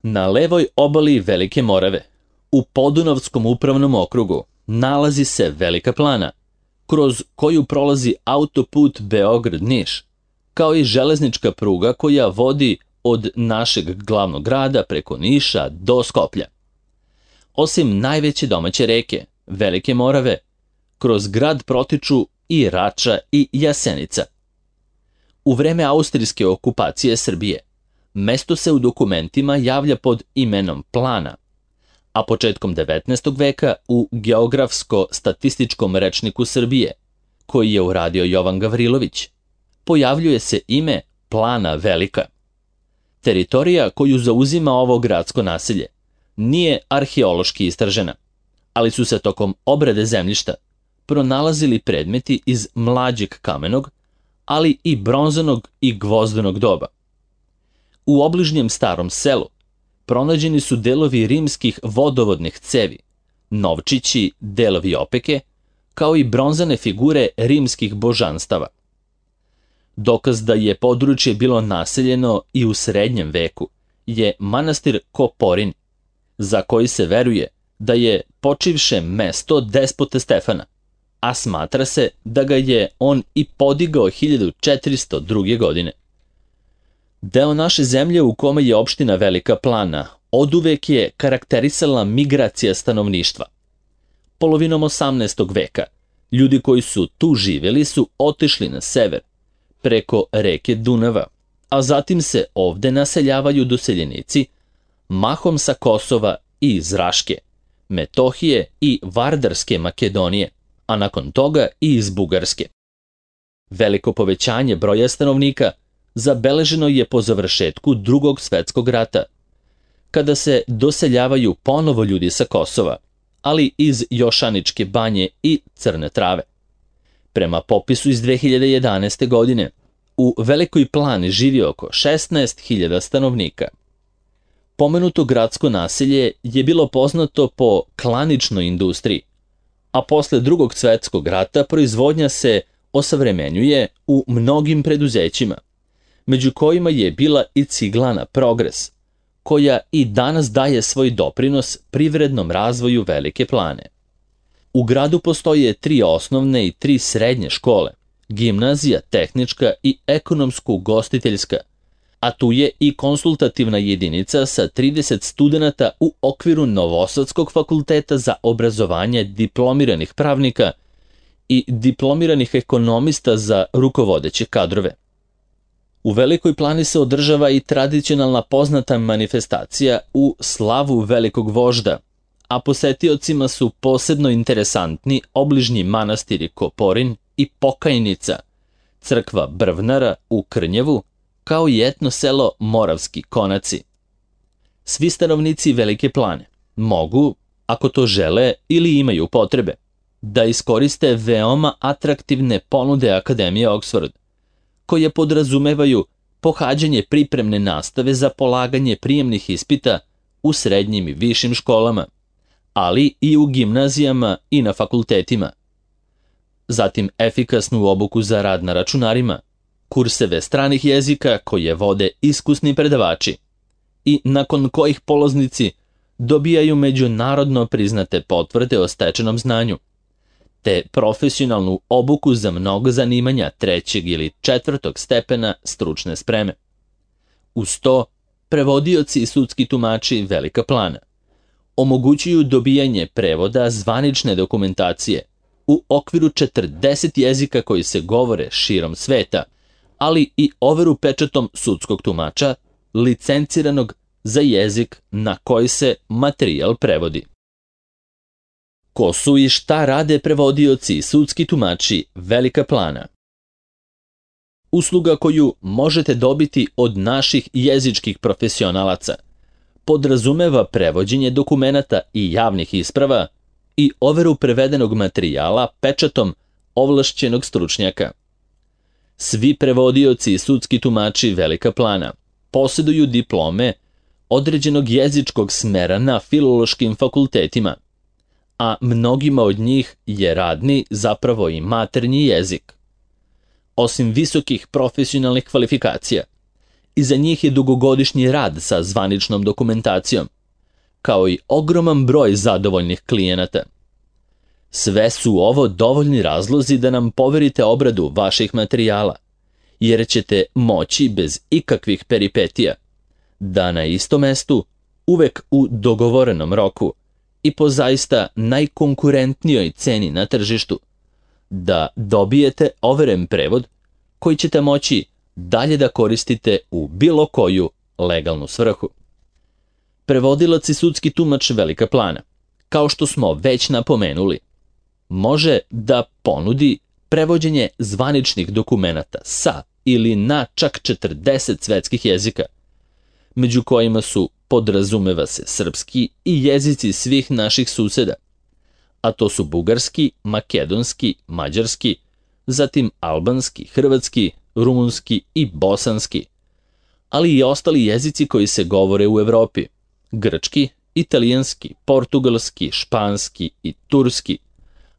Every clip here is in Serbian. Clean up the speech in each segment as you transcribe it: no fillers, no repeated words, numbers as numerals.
Na levoj obali Velike Morave, u Podunavskom upravnom okrugu, nalazi se Velika Plana, kroz koju prolazi autoput Beograd-Niš, kao i železnička pruga koja vodi od našeg glavnog grada preko Niša do Skoplja. Osim najveće domaće reke, Velike Morave, kroz grad protiču i Rača i Jasenica. U vreme austrijske okupacije Srbije, mesto se u dokumentima javlja pod imenom Plana, a početkom 19. veka u Geografsko-statističkom rečniku Srbije, koji je uradio Jovan Gavrilović, pojavljuje se ime Plana Velika. Teritorija koju zauzima ovo gradsko naselje nije arheološki istražena, ali su se tokom obrade zemljišta pronalazili predmeti iz mlađeg kamenog, ali i bronzanog i gvozdenog doba. U obližnjem starom selu pronađeni su delovi rimskih vodovodnih cevi, novčići, delovi opeke, kao i bronzane figure rimskih božanstava. Dokaz da je područje bilo naseljeno i u srednjem veku je manastir Koporin, za koji se veruje da je počivše mesto despote Stefana, a smatra se da ga je on i podigao 1402. godine. Deo naše zemlje u kome je opština Velika Plana oduvek je karakterisala migracija stanovništva. Polovinom 18. veka ljudi koji su tu živjeli su otišli na sever, preko reke Dunava, a zatim se ovde naseljavaju doseljenici, mahom sa Kosova i iz Raške, Metohije i Vardarske Makedonije, a nakon toga i iz Bugarske. Veliko povećanje broja stanovnika zabeleženo je po završetku Drugog svetskog rata, kada se doseljavaju ponovo ljudi sa Kosova, ali iz Jošaničke banje i Crne Trave. Prema popisu iz 2011. godine, u Velikoj Plani živi oko 16.000 stanovnika. Pomenuto gradsko naselje je bilo poznato po klaničnoj industriji, a posle Drugog svetskog rata proizvodnja se osavremenjuje u mnogim preduzećima, među kojima je bila i ciglana Progres, koja i danas daje svoj doprinos privrednom razvoju Velike Plane. U gradu postoje 3 osnovne i 3 srednje škole, gimnazija, tehnička i ekonomsko-ugostiteljska, a tu je i konsultativna jedinica sa 30 studenata u okviru Novosadskog fakulteta za obrazovanje diplomiranih pravnika i diplomiranih ekonomista za rukovodeće kadrove. U Velikoj Plani se održava i tradicionalna poznata manifestacija u slavu velikog vožda, a posetiocima su posebno interesantni obližnji manastiri Koporin i Pokajnica, crkva Brvnara u Krnjevu, kao i etno selo Moravski Konaci. Svi stanovnici Velike Plane mogu, ako to žele ili imaju potrebe, da iskoriste veoma atraktivne ponude Akademije Oxford, koje podrazumevaju pohađanje pripremne nastave za polaganje prijemnih ispita u srednjim i višim školama, ali i u gimnazijama i na fakultetima. Zatim efikasnu obuku za rad na računarima, kurseve stranih jezika koje vode iskusni predavači i nakon kojih polaznici dobijaju međunarodno priznate potvrde o stečenom znanju, te profesionalnu obuku za mnogo zanimanja 3. ili 4. stepena stručne spreme. Uz to, prevodioci i sudski tumači Velika Plana omogućuju dobijanje prevoda zvanične dokumentacije u okviru 40 jezika koji se govore širom sveta, ali i overu pečatom sudskog tumača, licenciranog za jezik na koji se materijal prevodi. Ko su i šta rade prevodioci i sudski tumači Velika Plana? Usluga koju možete dobiti od naših jezičkih profesionalaca podrazumeva prevođenje dokumenata i javnih isprava i overu prevedenog materijala pečatom ovlašćenog stručnjaka. Svi prevodioci i sudski tumači Velika Plana posjeduju diplome određenog jezičkog smera na filološkim fakultetima, a mnogima od njih je radni, zapravo i maternji jezik. Osim visokih profesionalnih kvalifikacija, Iza njih je dugogodišnji rad sa zvaničnom dokumentacijom, kao i ogroman broj zadovoljnih klijenata. Sve su ovo dovoljni razlozi da nam poverite obradu vaših materijala, jer ćete moći bez ikakvih peripetija da na istom mestu, uvek u dogovorenom roku i po zaista najkonkurentnijoj ceni na tržištu, da dobijete overen prevod koji ćete moći dalje da koristite u bilo koju legalnu svrhu. Prevodilac i sudski tumač Velika Plana, kao što smo već napomenuli, može da ponudi prevođenje zvaničnih dokumenata sa ili na čak 40 svetskih jezika, među kojima su, podrazumeva se, srpski i jezici svih naših suseda, a to su bugarski, makedonski, mađarski, zatim albanski, hrvatski, rumunski i bosanski, ali i ostali jezici koji se govore u Evropi, grčki, italijanski, portugalski, španski i turski,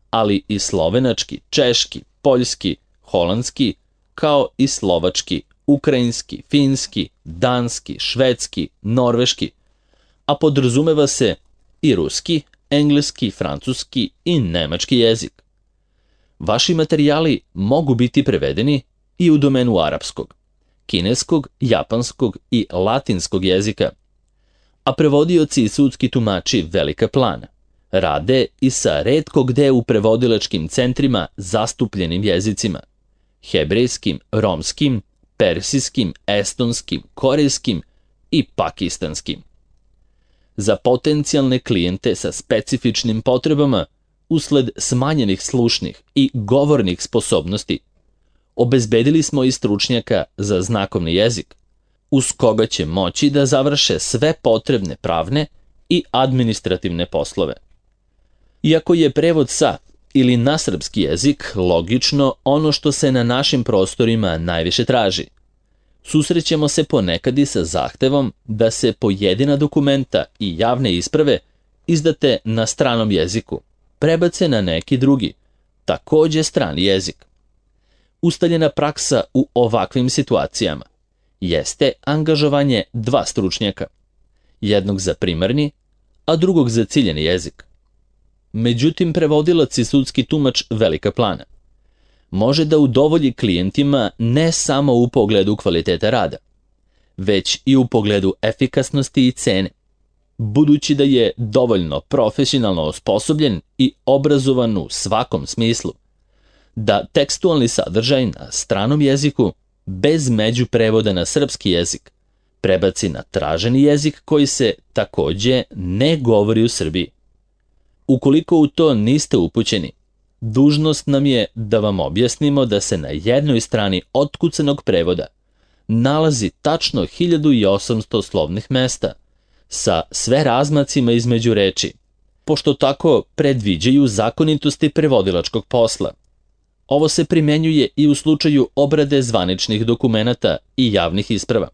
ali i slovenački, češki, poljski, holandski, kao i slovački, ukrajinski, finski, danski, švedski, norveški, a podrazumeva se i ruski, engleski, francuski i nemački jezik. Vaši materijali mogu biti prevedeni i u domenu arapskog, kineskog, japanskog i latinskog jezika, a prevodioci i sudski tumači Velika Plana rade i sa retko gde u prevodilačkim centrima zastupljenim jezicima, hebrejskim, romskim, persijskim, estonskim, korejskim i pakistanskim. Za potencijalne klijente sa specifičnim potrebama usled smanjenih slušnih i govornih sposobnosti, obezbedili smo i stručnjaka za znakovni jezik, uz koga će moći da završe sve potrebne pravne i administrativne poslove. Iako je prevod sa ili na srpski jezik logično ono što se na našim prostorima najviše traži, susrećemo se ponekad i sa zahtevom da se pojedina dokumenta i javne isprave izdate na stranom jeziku prebace na neki drugi, takođe strani jezik. Ustaljena praksa u ovakvim situacijama jeste angažovanje dva stručnjaka, jednog za primarni, a drugog za ciljeni jezik. Međutim, prevodilac i sudski tumač Velika Plana može da udovolji klijentima ne samo u pogledu kvaliteta rada, već i u pogledu efikasnosti i cene, budući da je dovoljno profesionalno osposobljen i obrazovan u svakom smislu, da tekstualni sadržaj na stranom jeziku bez međuprevoda na srpski jezik prebaci na traženi jezik koji se takođe ne govori u Srbiji. Ukoliko u to niste upućeni, dužnost nam je da vam objasnimo da se na jednoj strani otkucanog prevoda nalazi tačno 1800 slovnih mesta sa sve razmacima između reči, pošto tako predviđaju zakonitosti prevodilačkog posla. Ovo se primenjuje i u slučaju obrade zvaničnih dokumenata i javnih isprava,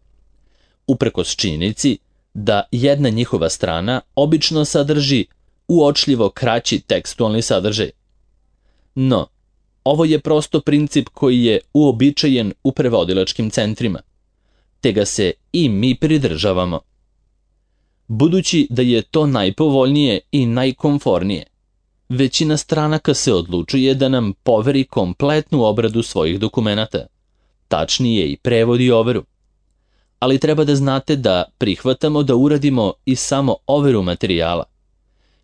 uprkos činjenici da jedna njihova strana obično sadrži uočljivo kraći tekstualni sadržaj. No, ovo je prosto princip koji je uobičajen u prevodilačkim centrima, te ga se i mi pridržavamo. Budući da je to najpovoljnije i najkomfornije, većina stranaka se odlučuje da nam poveri kompletnu obradu svojih dokumenata, tačnije i prevod i overu. Ali treba da znate da prihvatamo da uradimo i samo overu materijala,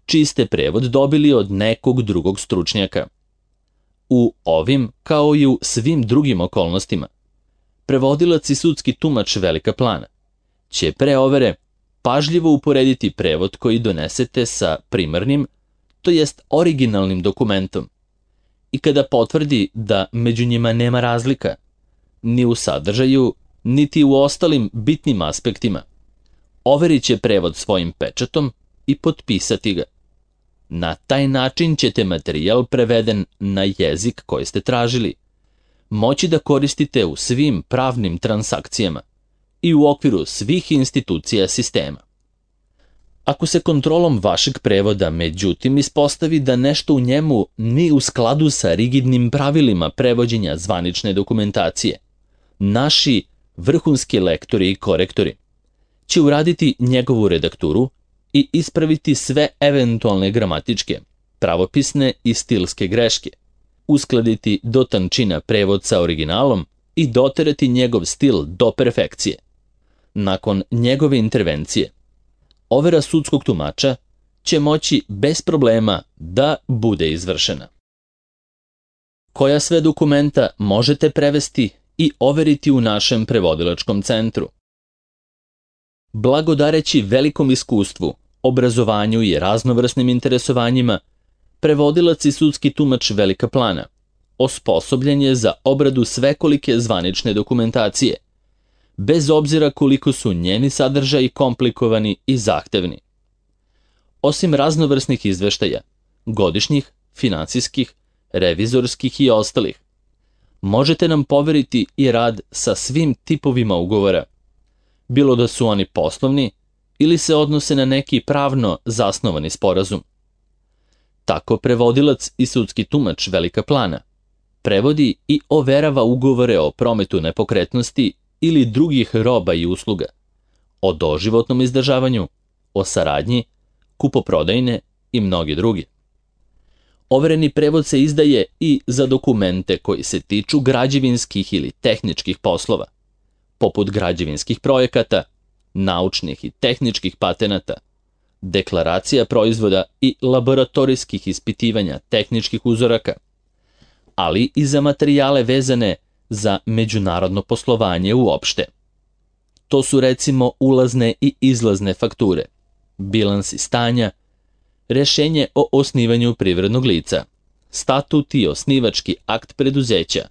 čiji ste prevod dobili od nekog drugog stručnjaka. U ovim, kao i u svim drugim okolnostima, prevodilac i sudski tumač Velika Plana će pre overe pažljivo uporediti prevod koji donesete sa primarnim, to jest originalnim dokumentom, i kada potvrdi da među njima nema razlika, ni u sadržaju, niti u ostalim bitnim aspektima, overit će prevod svojim pečatom i potpisati ga. Na taj način ćete materijal preveden na jezik koji ste tražili moći da koristite u svim pravnim transakcijama i u okviru svih institucija sistema. Ako se kontrolom vašeg prevoda međutim ispostavi da nešto u njemu ni u skladu sa rigidnim pravilima prevođenja zvanične dokumentacije, naši vrhunski lektori i korektori, će uraditi njegovu redakturu i ispraviti sve eventualne gramatičke, pravopisne i stilske greške, uskladiti do tančina prevod sa originalom i doterati njegov stil do perfekcije. Nakon njegove intervencije, overa sudskog tumača će moći bez problema da bude izvršena. Koja sve dokumenta možete prevesti i overiti u našem prevodilačkom centru? Blagodareći velikom iskustvu, obrazovanju i raznovrsnim interesovanjima, prevodilac i sudski tumač Velika Plana osposobljen je za obradu svekolike zvanične dokumentacije, bez obzira koliko su njeni sadržaji komplikovani i zahtevni. Osim raznovrsnih izveštaja, godišnjih, finansijskih, revizorskih i ostalih, možete nam poveriti i rad sa svim tipovima ugovora, bilo da su oni poslovni ili se odnose na neki pravno zasnovani sporazum. Tako prevodilac i sudski tumač Velika Plana prevodi i overava ugovore o prometu nepokretnosti ili drugih roba i usluga, o doživotnom izdržavanju, o saradnji, kupoprodajne i mnogi drugi. Overeni prevod se izdaje i za dokumente koji se tiču građevinskih ili tehničkih poslova, poput građevinskih projekata, naučnih i tehničkih patenata, deklaracija proizvoda i laboratorijskih ispitivanja tehničkih uzoraka, ali i za materijale vezane za međunarodno poslovanje uopšte. To su recimo ulazne i izlazne fakture, bilansi stanja, rešenje o osnivanju privrednog lica, statut i osnivački akt preduzeća,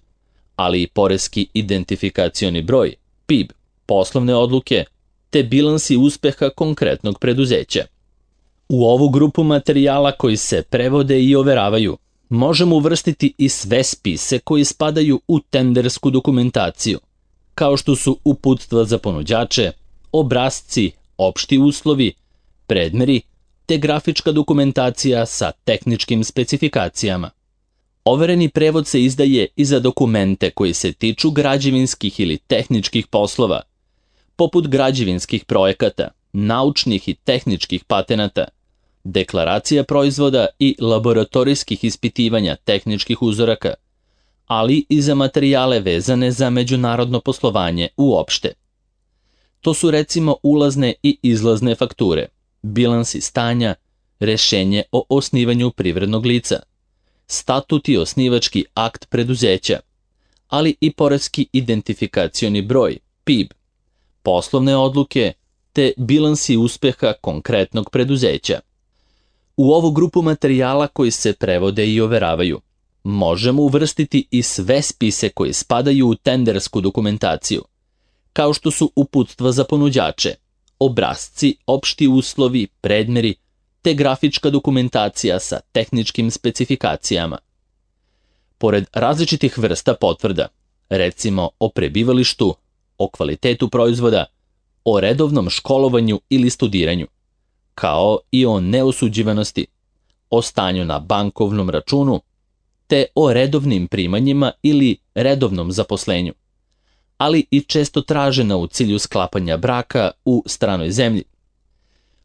ali i poreski identifikacioni broj, PIB, poslovne odluke, te bilansi uspeha konkretnog preduzeća. U ovu grupu materijala koji se prevode i overavaju, možemo uvrstiti i sve spise koji spadaju u tendersku dokumentaciju, kao što su uputstva za ponuđače, obrasci, opšti uslovi, predmeri, te grafička dokumentacija sa tehničkim specifikacijama. Overeni prevod se izdaje i za dokumente koji se tiču građevinskih ili tehničkih poslova, poput građevinskih projekata, naučnih i tehničkih patenata, deklaracija proizvoda i laboratorijskih ispitivanja tehničkih uzoraka, ali i za materijale vezane za međunarodno poslovanje uopšte. To su recimo ulazne i izlazne fakture, bilansi stanja, rešenje o osnivanju privrednog lica, statut i osnivački akt preduzeća, ali i poreski identifikacioni broj, PIB, poslovne odluke, te bilansi uspeha konkretnog preduzeća. U ovu grupu materijala koji se prevode i overavaju, možemo uvrstiti i sve spise koji spadaju u tendersku dokumentaciju, kao što su uputstva za ponuđače, obrasci, opšti uslovi, predmeri, te grafička dokumentacija sa tehničkim specifikacijama. Pored različitih vrsta potvrda, recimo o prebivalištu, o kvalitetu proizvoda, o redovnom školovanju ili studiranju, kao i o neosuđivanosti, o stanju na bankovnom računu, te o redovnim primanjima ili redovnom zaposlenju, ali i često tražena u cilju sklapanja braka u stranoj zemlji,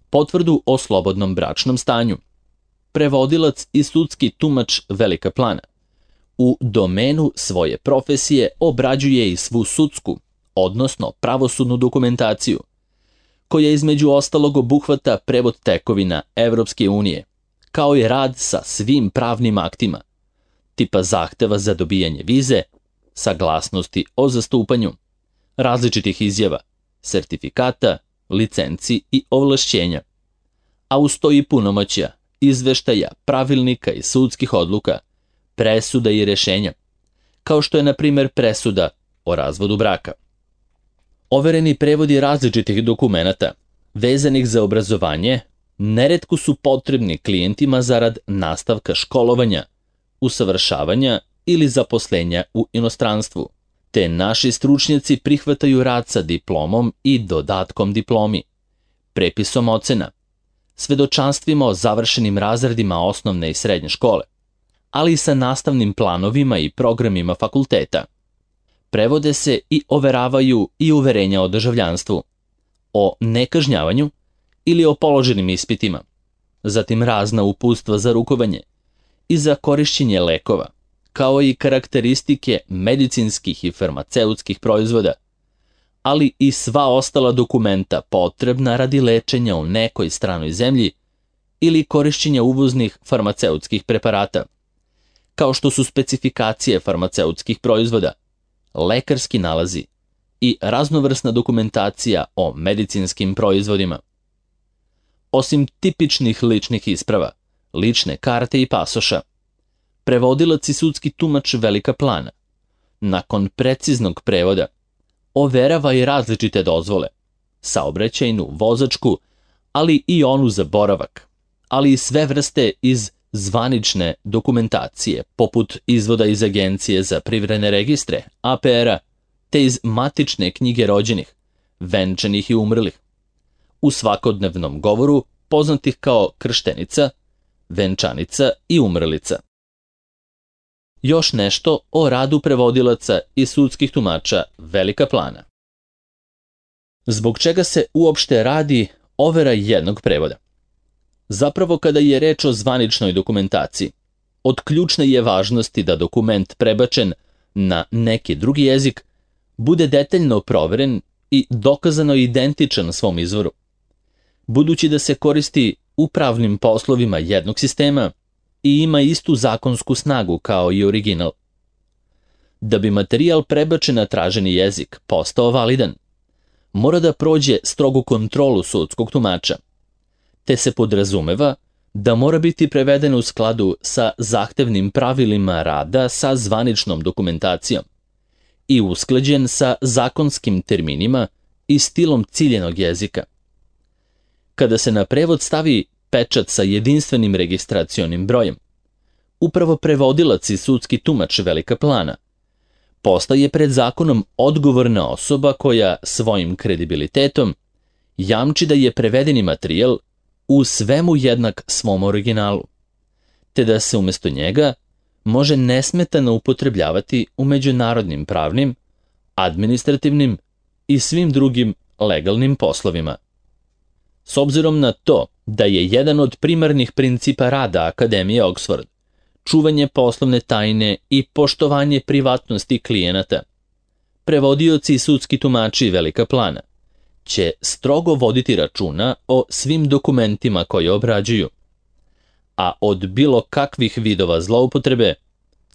potvrdu o slobodnom bračnom stanju. Prevodilac i sudski tumač Velika Plana u domenu svoje profesije obrađuje i svu sudsku, odnosno pravosudnu dokumentaciju, koja između ostalog obuhvata prevod tekovina Evropske unije, kao i rad sa svim pravnim aktima, tipa zahteva za dobijanje vize, saglasnosti o zastupanju, različitih izjava, sertifikata, licenci i ovlašćenja, a uz to i punomoćja, izveštaja, pravilnika i sudskih odluka, presuda i rešenja, kao što je na primjer presuda o razvodu braka. Overeni prevodi različitih dokumenata, vezanih za obrazovanje, neretko su potrebni klijentima zarad nastavka školovanja, usavršavanja ili zaposlenja u inostranstvu, te naši stručnjaci prihvataju rad sa diplomom i dodatkom diplomi, prepisom ocena, svedočanstvima o završenim razredima osnovne i srednje škole, ali i sa nastavnim planovima i programima fakulteta. prevode se i overavaju i uverenja o državljanstvu, o nekažnjavanju ili o položenim ispitima, zatim razna uputstva za rukovanje i za korišćenje lekova, kao i karakteristike medicinskih i farmaceutskih proizvoda, ali i sva ostala dokumenta potrebna radi lečenja u nekoj stranoj zemlji ili korišćenja uvoznih farmaceutskih preparata, kao što su specifikacije farmaceutskih proizvoda, lekarski nalazi i raznovrsna dokumentacija o medicinskim proizvodima. Osim tipičnih ličnih isprava, lične karte i pasoša, prevodilac i sudski tumač Velika Plana, nakon preciznog prevoda, overava i različite dozvole, saobraćajnu, vozačku, ali i onu za boravak, ali i sve vrste iz zvanične dokumentacije, poput izvoda iz Agencije za privredne registre, APR-a, te iz matične knjige rođenih, venčanih i umrlih, u svakodnevnom govoru poznatih kao krštenica, venčanica i umrlica. Još nešto o radu prevodilaca i sudskih tumača Velika Plana. Zbog čega se uopšte radi overa jednog prevoda? Zapravo, kada je reč o zvaničnoj dokumentaciji, od ključne je važnosti da dokument prebačen na neki drugi jezik bude detaljno proveren i dokazano identičan svom izvoru. Budući da se koristi u pravnim poslovima jednog sistema i ima istu zakonsku snagu kao i original. Da bi materijal prebačen na traženi jezik postao validan, mora da prođe strogu kontrolu sudskog tumača, te se podrazumeva da mora biti preveden u skladu sa zahtevnim pravilima rada sa zvaničnom dokumentacijom i usklađen sa zakonskim terminima i stilom ciljenog jezika. Kada se na prevod stavi pečat sa jedinstvenim registracionim brojem, upravo prevodilac i sudski tumač Velika Plana postaje pred zakonom odgovorna osoba koja svojim kredibilitetom jamči da je prevedeni materijal u svemu jednak svom originalu, te da se umjesto njega može nesmetano upotrebljavati u međunarodnim pravnim, administrativnim i svim drugim legalnim poslovima. S obzirom na to da je jedan od primarnih principa rada Akademije Oxford čuvanje poslovne tajne i poštovanje privatnosti klijenata, prevodioci i sudski tumači Velika Plana će strogo voditi računa o svim dokumentima koje obrađuju, a od bilo kakvih vidova zloupotrebe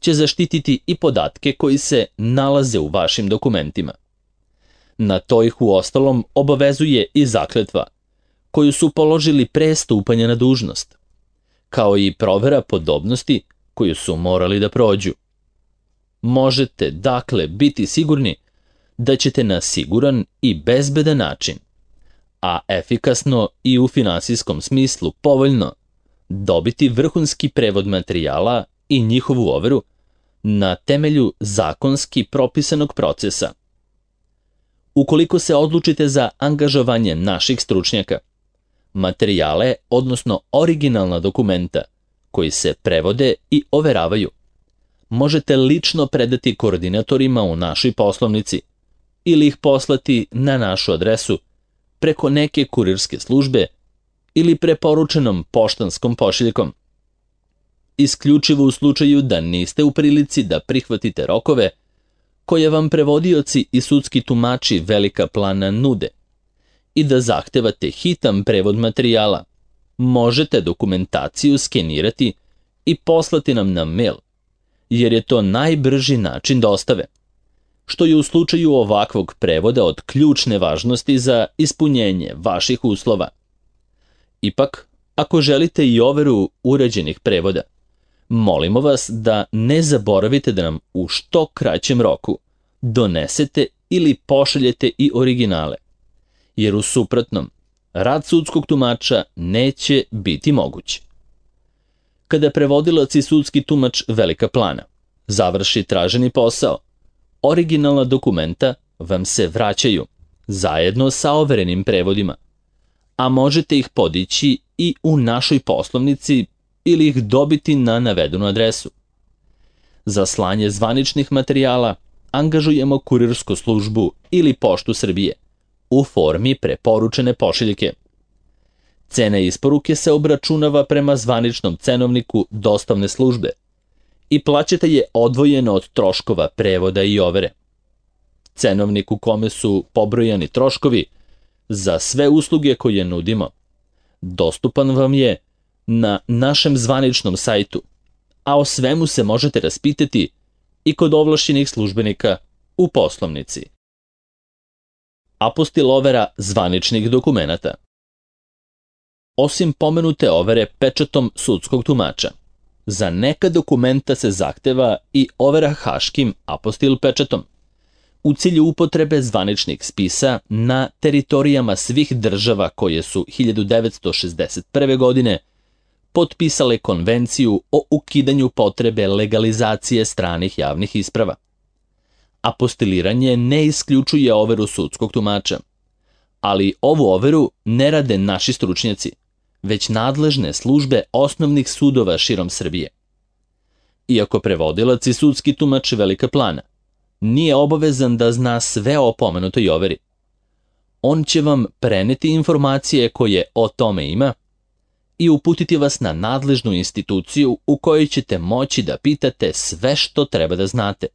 će zaštititi i podatke koji se nalaze u vašim dokumentima. Na to ih uostalom obavezuje i zakletva koju su položili pre stupanja na dužnost, kao i provera podobnosti koju su morali da prođu. Možete, dakle, biti sigurni da ćete na siguran i bezbedan način, a efikasno i u finansijskom smislu povoljno, dobiti vrhunski prevod materijala i njihovu overu na temelju zakonski propisanog procesa. Ukoliko se odlučite za angažovanje naših stručnjaka, materijale, odnosno originalna dokumenta koji se prevode i overavaju, možete lično predati koordinatorima u našoj poslovnici ili ih poslati na našu adresu preko neke kurirske službe ili preporučenom poštanskom pošiljkom. Isključivo u slučaju da niste u prilici da prihvatite rokove koje vam prevodioci i sudski tumači Velika Plana nude i da zahtevate hitan prevod materijala, možete dokumentaciju skenirati i poslati nam na mail, jer je to najbrži način dostave, što je u slučaju ovakvog prevoda od ključne važnosti za ispunjenje vaših uslova. Ipak, ako želite i overu uređenih prevoda, molimo vas da ne zaboravite da nam u što kraćem roku donesete ili pošaljete i originale, jer u suprotnom, rad sudskog tumača neće biti moguć. Kada prevodilac i sudski tumač Velika Plana završi traženi posao, originalna dokumenta vam se vraćaju zajedno sa overenim prevodima, a možete ih podići i u našoj poslovnici ili ih dobiti na navedenu adresu. Za slanje zvaničnih materijala, angažujemo kurirsku službu ili Poštu Srbije u formi preporučene pošiljke. Cena isporuke se obračunava prema zvaničnom cenovniku dostavne službe i plaćate je odvojeno od troškova prevoda i overe. Cenovnik u kome su pobrojani troškovi za sve usluge koje nudimo dostupan vam je na našem zvaničnom sajtu, a o svemu se možete raspitati i kod ovlašćenih službenika u poslovnici. Apostil overa zvaničnih dokumenata. Osim pomenute overe pečatom sudskog tumača, za neka dokumenta se zahteva i overa haškim apostil pečatom, u cilju upotrebe zvaničnih spisa na teritorijama svih država koje su 1961. godine potpisale konvenciju o ukidanju potrebe legalizacije stranih javnih isprava. Apostiliranje ne isključuje overu sudskog tumača, ali ovu overu ne rade naši stručnjaci, već nadležne službe osnovnih sudova širom Srbije. Iako prevodilac i sudski tumač Velika Plana nije obavezan da zna sve o pomenutoj overi, on će vam preneti informacije koje o tome ima i uputiti vas na nadležnu instituciju u kojoj ćete moći da pitate sve što treba da znate,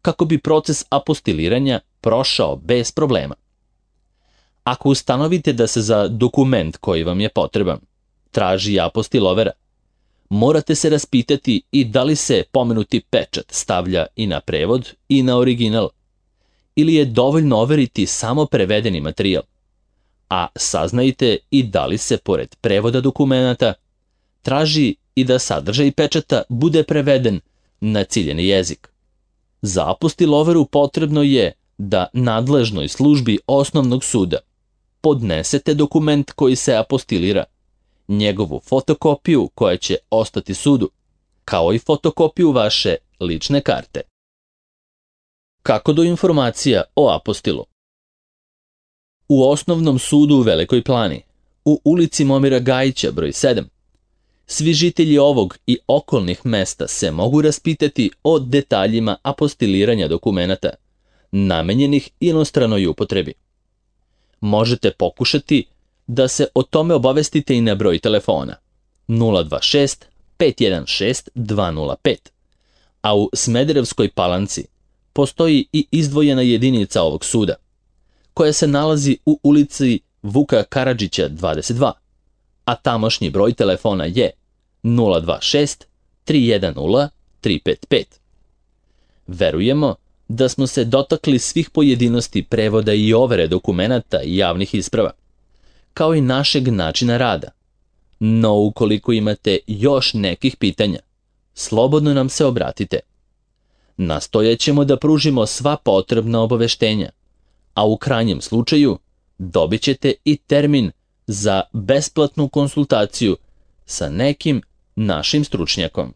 kako bi proces apostiliranja prošao bez problema. Ako ustanovite da se za dokument koji vam je potreban traži apostil overa, morate se raspitati i da li se pomenuti pečat stavlja i na prevod i na original, ili je dovoljno overiti samo prevedeni materijal, a saznajte i da li se pored prevoda dokumenata traži i da sadržaj pečata bude preveden na ciljeni jezik. Za apostil overu potrebno je da nadležnoj službi osnovnog suda podnesete dokument koji se apostilira, njegovu fotokopiju koja će ostati sudu, kao i fotokopiju vaše lične karte. Kako do informacija o apostilu? U Osnovnom sudu u Velikoj Plani, u ulici Momira Gajića broj 7, svi žitelji ovog i okolnih mesta se mogu raspitati o detaljima apostiliranja dokumenata, namenjenih inostranoj upotrebi. Možete pokušati da se o tome obavestite i na broj telefona 026 516 205, a u Smederevskoj Palanci postoji i izdvojena jedinica ovog suda, koja se nalazi u ulici Vuka Karadžića 22, a tamošnji broj telefona je 026 310 355. Verujemo da smo se dotakli svih pojedinosti prevoda i overe dokumenata i javnih isprava, kao i našeg načina rada. No, ukoliko imate još nekih pitanja, slobodno nam se obratite. Nastojaćemo da pružimo sva potrebna obaveštenja, a u krajnjem slučaju dobit ćete i termin za besplatnu konsultaciju sa nekim našim stručnjakom.